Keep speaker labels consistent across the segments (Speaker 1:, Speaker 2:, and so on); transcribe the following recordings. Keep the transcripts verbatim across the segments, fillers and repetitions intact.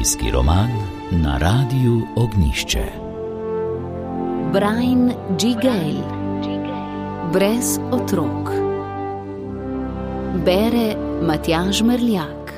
Speaker 1: Zgodovinski roman na Radiu Ognjišče. Brian G. Gale. Brez otrok. Bere Matjaž Merljak.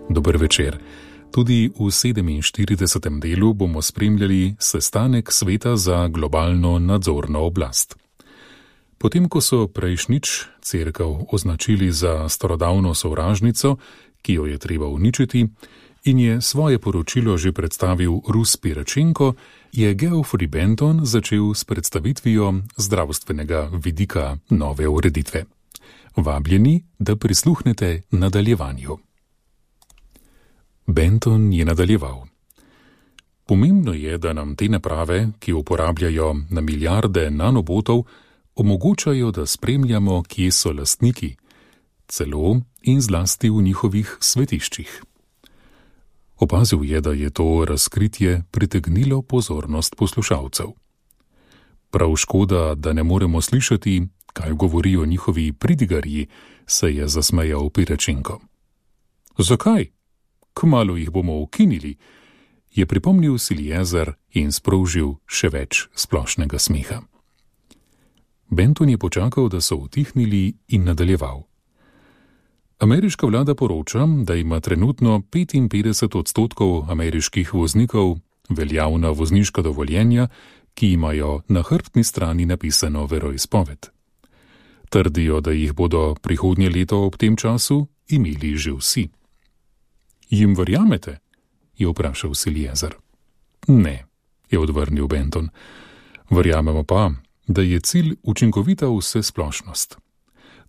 Speaker 2: Dober večer. Tudi v sedeminštiridesetem delu bomo spremljali sestanek Sveta za globalno nadzorno oblast. Potem, ko so prejšnjič cerkev označili za starodavno sovražnico, ki jo je treba uničiti, in je svoje poročilo že predstavil Rus Piračenko, je Geoffrey Benton začel s predstavitvijo zdravstvenega vidika nove ureditve. Vabljeni, da prisluhnete nadaljevanju. Benton je nadaljeval. Pomembno je, da nam te naprave, ki uporabljajo na milijarde nanobotov, omogočajo, da spremljamo, kje so lastniki, celo in zlasti v njihovih svetiščih. Opazil je, da je to razkritje pritegnilo pozornost poslušalcev. Prav škoda, da ne moremo slišati, kaj govorijo njihovi pridigarji, se je zasmejal Piračenko. Zakaj? Kmalu jih bomo ukinili, je pripomnil Siljezer in sprožil še več splošnega smeha. Benton je počakal, da so utihnili in nadaljeval. Ameriška vlada poroča, da ima trenutno petinpetdeset odstotkov ameriških voznikov veljavna vozniška dovoljenja, ki imajo na hrbtni strani napisano veroizpoved. Trdijo, da jih bodo prihodnje leto ob tem času imeli že vsi. Jim verjamete? Je vprašal Siljezer. Ne, je odvrnil Benton. Verjamemo pa, da je cilj učinkovita vsesplošnost.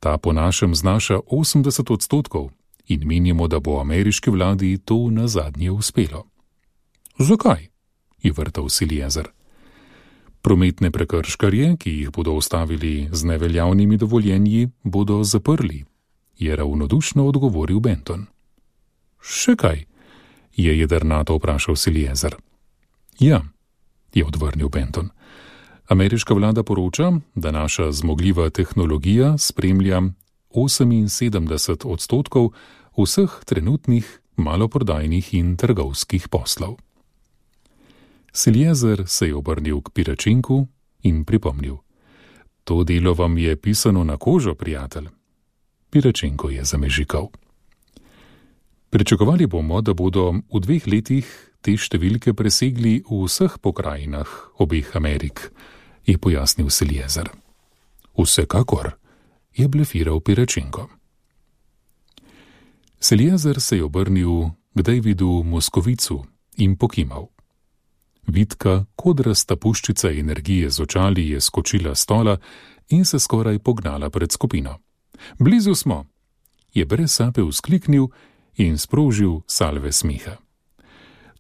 Speaker 2: Ta po našem znaša osemdeset odstotkov in menimo, da bo ameriški vladi to nazadnje uspelo. Zakaj? Je vrtal Siljezer. Prometne prekrškarje, ki jih bodo ustavili z neveljavnimi dovoljenji, bodo zaprli, je ravnodušno odgovoril Benton. Še kaj? Je jedrnato vprašal Siljezer. Ja, je odvrnil Benton. Ameriška vlada poroča, da naša zmogljiva tehnologija spremlja oseminsedemdeset odstotkov vseh trenutnih maloprodajnih in trgovskih poslov. Siljezer se je obrnil k Piračenku in pripomnil. To delo vam je pisano na kožo, prijatelj. Piračenko je zamežikal. Pričakovali bomo, da bodo v dveh letih te številke presegli v vseh pokrajinah obeh Amerik, je pojasnil Siljezer. Vsekakor, je blefiral Piračenko. Siljezer se je obrnil k Davidu Moskovicu in pokimal. Vitka, kodrasta puščica energije z očali je skočila s stola in se skoraj pognala pred skupino. Blizu smo, je brez sape vzkliknil in sprožil salve smeha.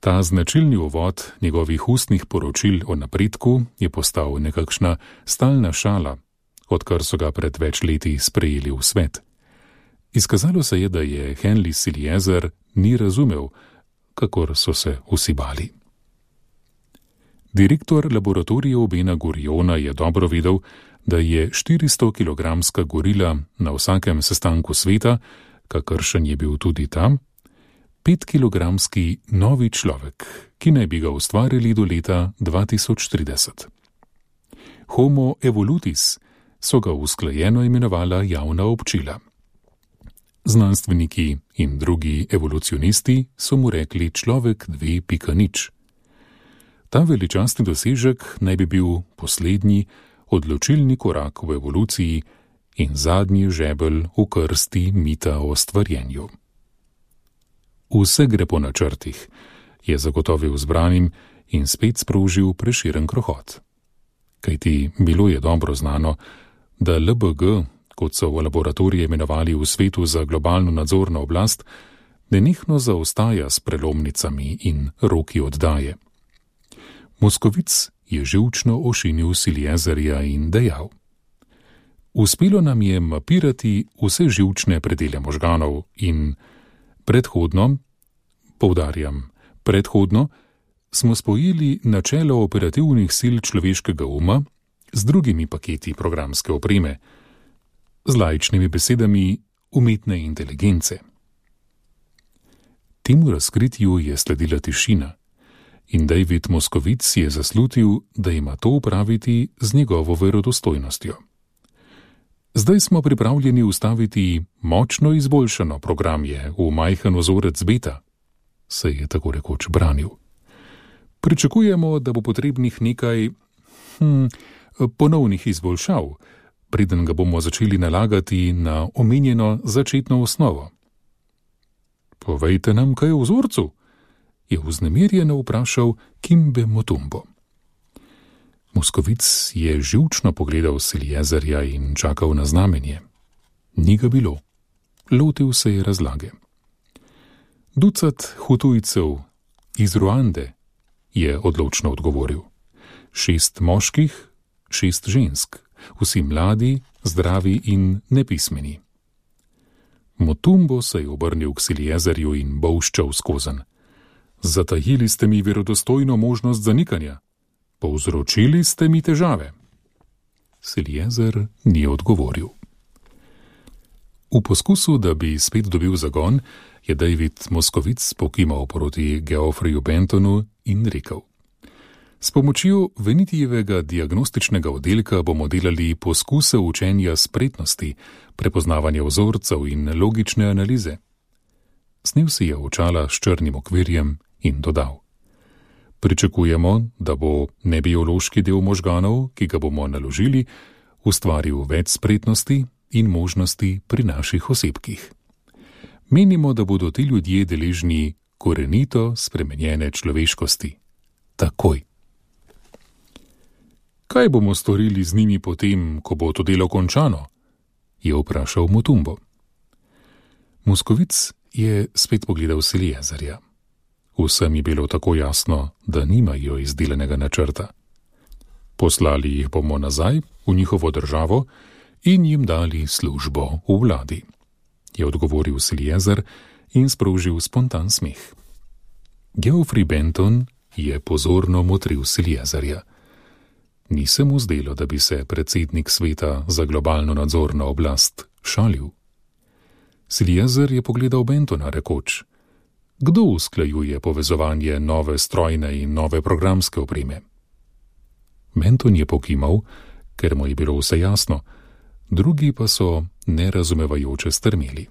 Speaker 2: Ta značilni uvod njegovih ustnih poročil o napredku je postal nekakšna stalna šala, odkar so ga pred več leti sprejeli v svet. Izkazalo se je, da je Henry Siljezer ni razumel, kakor so se vsi bali. Direktor laboratorijev Bena Guriona je dobro vedel, da je štiristo-kilogramska gorila na vsakem sestanku sveta, kakršen je bil tudi tam, petkilogramski novi človek, ki naj bi ga ustvarili do leta dva tisoč trideset. Homo evolutis so ga usklajeno imenovala javna občila. Znanstveniki in drugi evolucionisti so mu rekli človek dve pika nič. Ta veličastni dosežek naj bi bil poslednji, odločilni korak v evoluciji in zadnji žebelj v krsti mita o stvarjenju. Vse gre po načrtih, je zagotovil zbranim in spet sprožil preširen krohot. Kajti bilo je dobro znano, da L B G, kot so v laboratorije imenovali v svetu za globalno nadzorno oblast, nenehno zaostaja s prelomnicami in roki oddaje. Moskovic je živčno ošinil Siljezerja in dejal. Uspelo nam je mapirati vse živčne predele možganov in predhodno, poudarjam, predhodno, smo spojili načelo operativnih sil človeškega uma z drugimi paketi programske opreme, z laičnimi besedami umetne inteligence. Temu razkritju je sledila tišina in David Moscovic je zaslutil, da ima to upraviti z njegovo verodostojnostjo. Zdaj smo pripravljeni ustaviti močno izboljšano programje v majhen ozorec beta, se je tako rekoč branil. Pričakujemo, da bo potrebnih nekaj hm, ponovnih izboljšav, preden ga bomo začeli nalagati na omenjeno začetno osnovo. Povejte nam, kaj je v vzorcu, je vznemirjeno vprašal Kimbe Motumbo. Moscovic je živčno pogledal Seliezerja in čakal na znamenje. Ni ga bilo. Lotil se je razlage. Ducat hutujcev iz Ruande, je odločno odgovoril. Šest moških, šest žensk, vsi mladi, zdravi in nepismeni. Motumbo se je obrnil k Seliezerju in bolščal skozenj. Zatajili ste mi verodostojno možnost zanikanja. Povzročili ste mi težave. Seliezer ni odgovoril. V poskusu, da bi spet dobil zagon, je David Moscovic pokimal proti Geoffreyu Bentonu in rekel: S pomočjo Venitijevega diagnostičnega oddelka bomo delali poskuse učenja spretnosti, prepoznavanja vzorcev in logične analize. Snel si je očala s črnim okvirjem in dodal: Pričakujemo, da bo nebiološki del možganov, ki ga bomo naložili, ustvaril več spretnosti in možnosti pri naših osebkih. Menimo, da bodo ti ljudje deležni korenito spremenjene človeškosti. Takoj. Kaj bomo storili z njimi potem, ko bo to delo končano? Je vprašal Motumbo. Moscovic je spet pogledal Seliezerja. Vsem je bilo tako jasno, da nimajo izdelanega načrta. Poslali jih bomo nazaj v njihovo državo in jim dali službo v vladi, je odgovoril Seliezer in sprožil spontan smeh. Geoffrey Benton je pozorno motril Seliezerja. Ni se mu zdelo, da bi se predsednik sveta za globalno nadzorno oblast šalil. Seliezer je pogledal Bentona rekoč: Kdo usklajuje povezovanje nove strojne in nove programske opreme? Benton je pokimal, ker mu je bilo vse jasno, drugi pa so nerazumevajoče strmeli.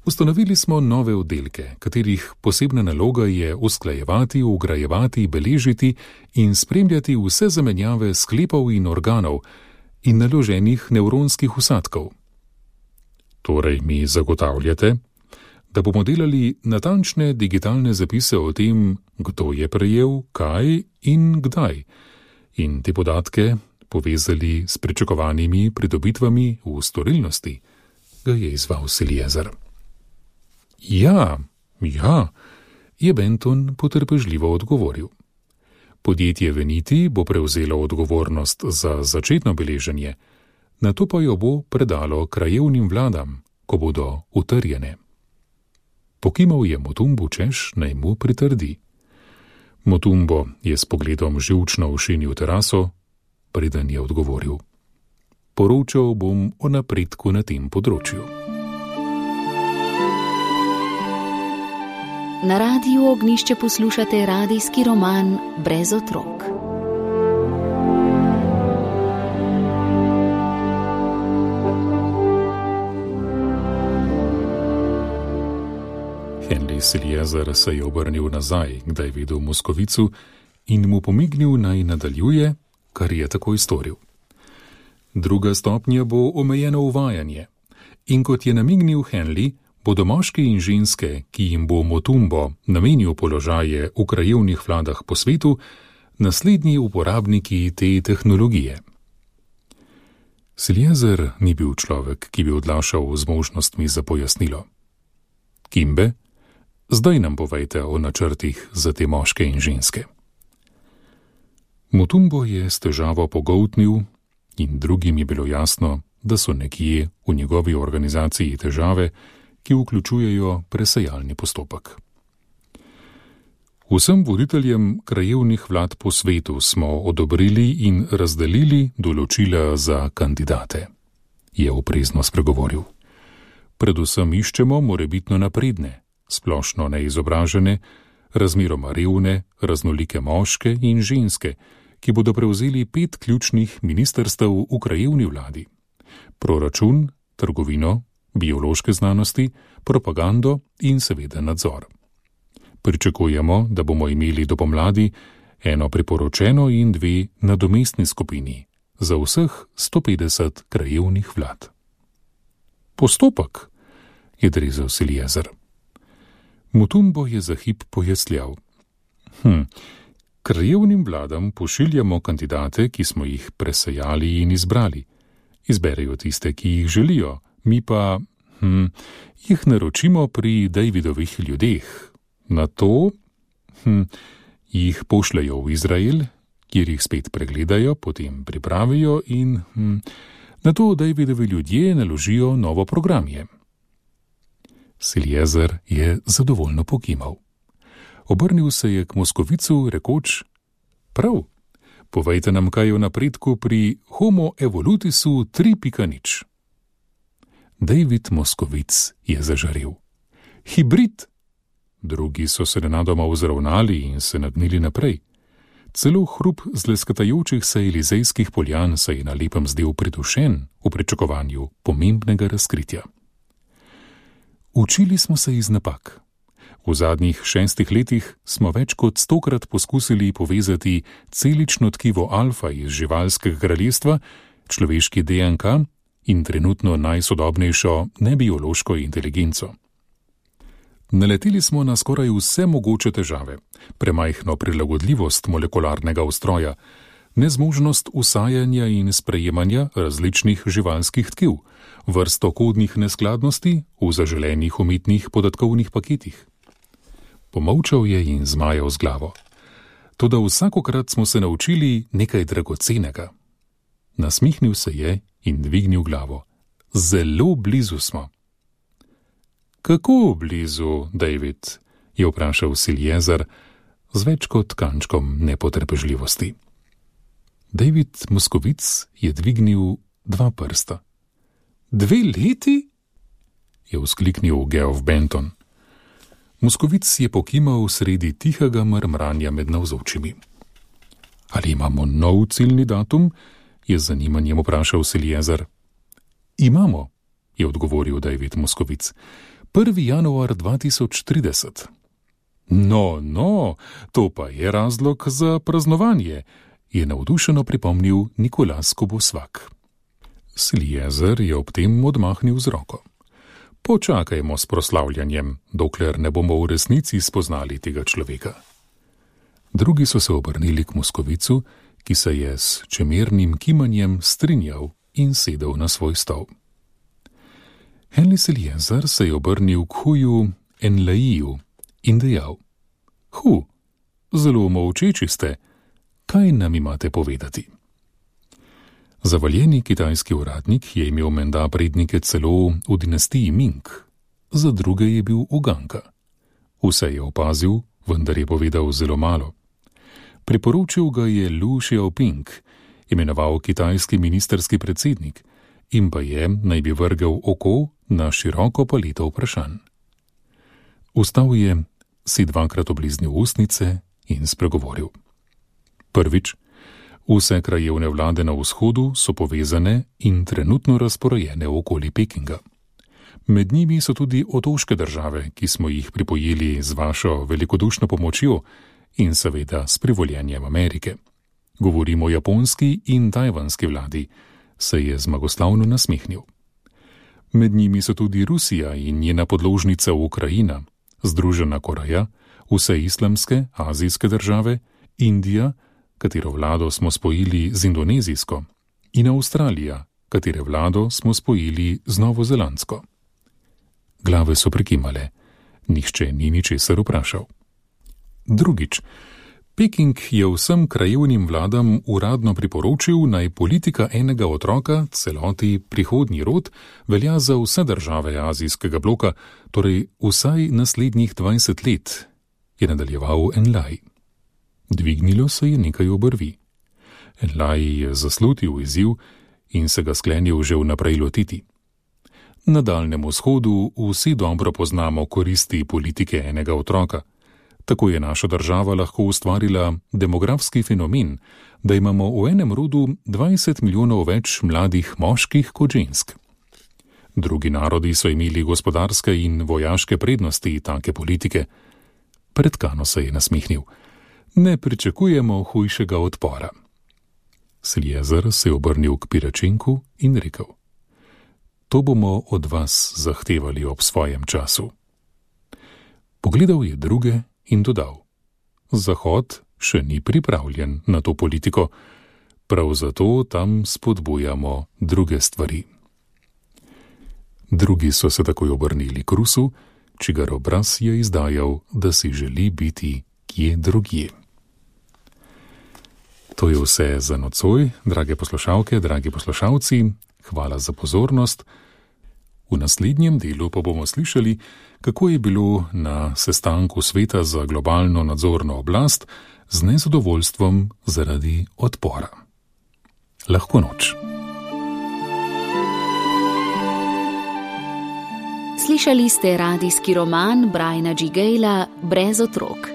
Speaker 2: Ustanovili smo nove oddelke, katerih posebna naloga je usklajevati, vgrajevati, beležiti in spremljati vse zamenjave sklepov in organov in naloženih nevronskih vsadkov. Torej mi zagotavljate, da bomo delali natančne digitalne zapise o tem, kdo je prejel, kaj in kdaj, in te podatke povezali s pričakovanimi pridobitvami v storilnosti, ga je izval Seliezer. Ja, ja, je Benton potrpežljivo odgovoril. Podjetje Veniti bo prevzelo odgovornost za začetno beleženje, nato pa jo bo predalo krajevnim vladam, ko bodo utrjene. Pokimal je Motumbo, češ naj mu pritrdi. Motumbo je s pogledom živčno ošinil teraso, preden je odgovoril: Poročal bom o napredku na tem področju.
Speaker 1: Na Radiu Ognjišče poslušate radijski roman Brez otrok.
Speaker 2: Henry Seliezer se je obrnil nazaj, kdaj je videl Moskovicu in mu pomignil, naj nadaljuje, kar je takoj storil. Druga stopnja bo omejeno uvajanje in kot je namignil Henry, bodo moški in ženske, ki jim bo Motumbo namenil položaje v krajevnih vladah po svetu, naslednji uporabniki te tehnologije. Seliezer ni bil človek, ki bi odlašal z možnostmi za pojasnilo. Kimbe, zdaj nam povejte o načrtih za te moške in ženske. Motumbo je s težavo pogoltnil in drugim je bilo jasno, da so nekje v njegovi organizaciji težave, ki vključujejo presejalni postopek. Vsem voditeljem krajevnih vlad po svetu smo odobrili in razdelili določila za kandidate, je oprezno spregovoril. Predvsem iščemo morebitno napredne, splošno neizobražene, razmeroma revne, raznolike moške in ženske, ki bodo prevzeli pet ključnih ministrstev v krajevni vladi: proračun, trgovino, biološke znanosti, propagando in seveda nadzor. Pričakujemo, da bomo imeli do pomladi eno priporočeno in dve nadomestni skupini za vseh sto petdeset krajevnih vlad. Postopek, je drezel Siljezer. Mutumbo je za hip pojasnjal. Hm, krajevnim vladam pošiljamo kandidate, ki smo jih presejali in izbrali. Izberejo tiste, ki jih želijo, mi pa hm, jih naročimo pri Davidovih ljudeh. Na to hm, jih pošljajo v Izrael, kjer jih spet pregledajo, potem pripravijo in hm, na to Davidovi ljudje naložijo novo programje. Siljezer je zadovoljno pokimal. Obrnil se je k Moskovicu, rekoč: Prav, povejte nam kaj o napredku pri Homo evolutisu tri pika nič. David Moskovic je zažarel. Hibrid! Drugi so se nenadoma vzravnali in se nagnili naprej. Celo hrup zleskatajočih se elizejskih poljan se je na lepem zdel pridušen v pričakovanju pomembnega razkritja. Učili smo se iz napak. V zadnjih šestih letih smo več kot stokrat poskusili povezati celično tkivo alfa iz živalskega kraljestva, človeški D N K in trenutno najsodobnejšo nebiološko inteligenco. Naleteli smo na skoraj vse mogoče težave: premajhno prilagodljivost molekularnega ustroja, nezmožnost usajanja in sprejemanja različnih živalskih tkiv, vrsto kodnih neskladnosti v zaželenih umetnih podatkovnih paketih. Pomolčal je in zmajal z glavo. Toda vsakokrat smo se naučili nekaj dragocenega. Nasmihnil se je in dvignil glavo. Zelo blizu smo. Kako blizu, David? Je vprašal Siljezer z več kot kančkom nepotrpežljivosti. David Moskovic je dvignil dva prsta. Dve leti? Je vzkliknil Geoff Benton. Moskovic je pokimal sredi tihega mrmranja med navzočimi. Ali imamo nov ciljni datum? Je z zanimanjem vprašal Siljezer. Imamo, je odgovoril David Moskovic. prvi januar dva tisoč trideset. No, no, to pa je razlog za praznovanje, je navdušeno pripomnil Nikolas Kobosvak. Siljezer je ob tem odmahnil z roko. Počakajmo s proslavljanjem, dokler ne bomo v resnici spoznali tega človeka. Drugi so se obrnili k Moskovicu, ki se je s čemernim kimanjem strinjal in sedel na svoj stol. Henry Siljezer se je obrnil k Huju Enlaiju in dejal: Hu, zelo molčeči ste, kaj nam imate povedati? Zavaljeni kitajski uradnik je imel menda prednike celo v dinastiji Ming, za druge je bil uganka. Vse je opazil, vendar je povedal zelo malo. Priporočil ga je Lu Xiaoping, imenoval kitajski ministerski predsednik, in pa je naj bi vrgel oko na široko paleto vprašanj. Vstal je, si dvakrat obliznil ustnice in spregovoril. Prvič, vse krajevne vlade na vzhodu so povezane in trenutno razporejene okoli Pekinga. Med njimi so tudi otoške države, ki smo jih pripojili z vašo velikodušno pomočjo in seveda s privoljenjem Amerike. Govorimo o japonski in tajvanski vladi, se je zmagoslavno nasmehnil. Med njimi so tudi Rusija in njena podložnica Ukrajina, Združena Koreja, vse islamske, azijske države, Indija, katero vlado smo spojili z indonezijsko, in Avstralija, katere vlado smo spojili z novozelandsko. Glave so prikimale, nihče ni ničesar vprašal. Drugič, Peking je vsem krajevnim vladam uradno priporočil, naj politika enega otroka, celoti prihodnji rod, velja za vse države azijskega bloka, torej vsaj naslednjih dvajset let, je nadaljeval Enlai. Dvignilo se je nekaj obrvi. Enlai je zaslutil izziv in se ga sklenil že vnaprej lotiti. Na Daljnem vzhodu vsi dobro poznamo koristi politike enega otroka. Tako je naša država lahko ustvarila demografski fenomen, da imamo v enem rodu dvajset milijonov več mladih moških kot žensk. Drugi narodi so imeli gospodarske in vojaške prednosti take politike. Pretkano se je nasmihnil. Ne pričakujemo hujšega odpora. Sljezer se je obrnil k Piračenku in rekel: To bomo od vas zahtevali ob svojem času. Pogledal je druge in dodal: Zahod še ni pripravljen na to politiko, prav zato tam spodbujamo druge stvari. Drugi so se takoj obrnili k Rusu, čigar obraz je izdajal, da si želi biti kje drugje. To je vse za nocoj, drage poslušalke, dragi poslušalci. Hvala za pozornost. V naslednjem delu pa bomo slišali, kako je bilo na sestanku Sveta za globalno nadzorno oblast z nezadovoljstvom zaradi odpora. Lahko noč.
Speaker 1: Slišali ste radijski roman Briana G. Gayla Brez otrok.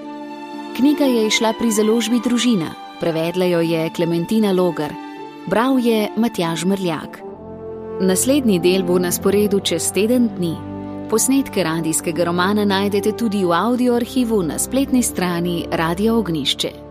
Speaker 1: Knjiga je izšla pri založbi Družina, prevedla jo je Klementina Logar, bral je Matjaž Mrljak. Naslednji del bo na sporedu čez teden dni. Posnetke radijskega romana najdete tudi v audio arhivu na spletni strani Radia Ognjišče.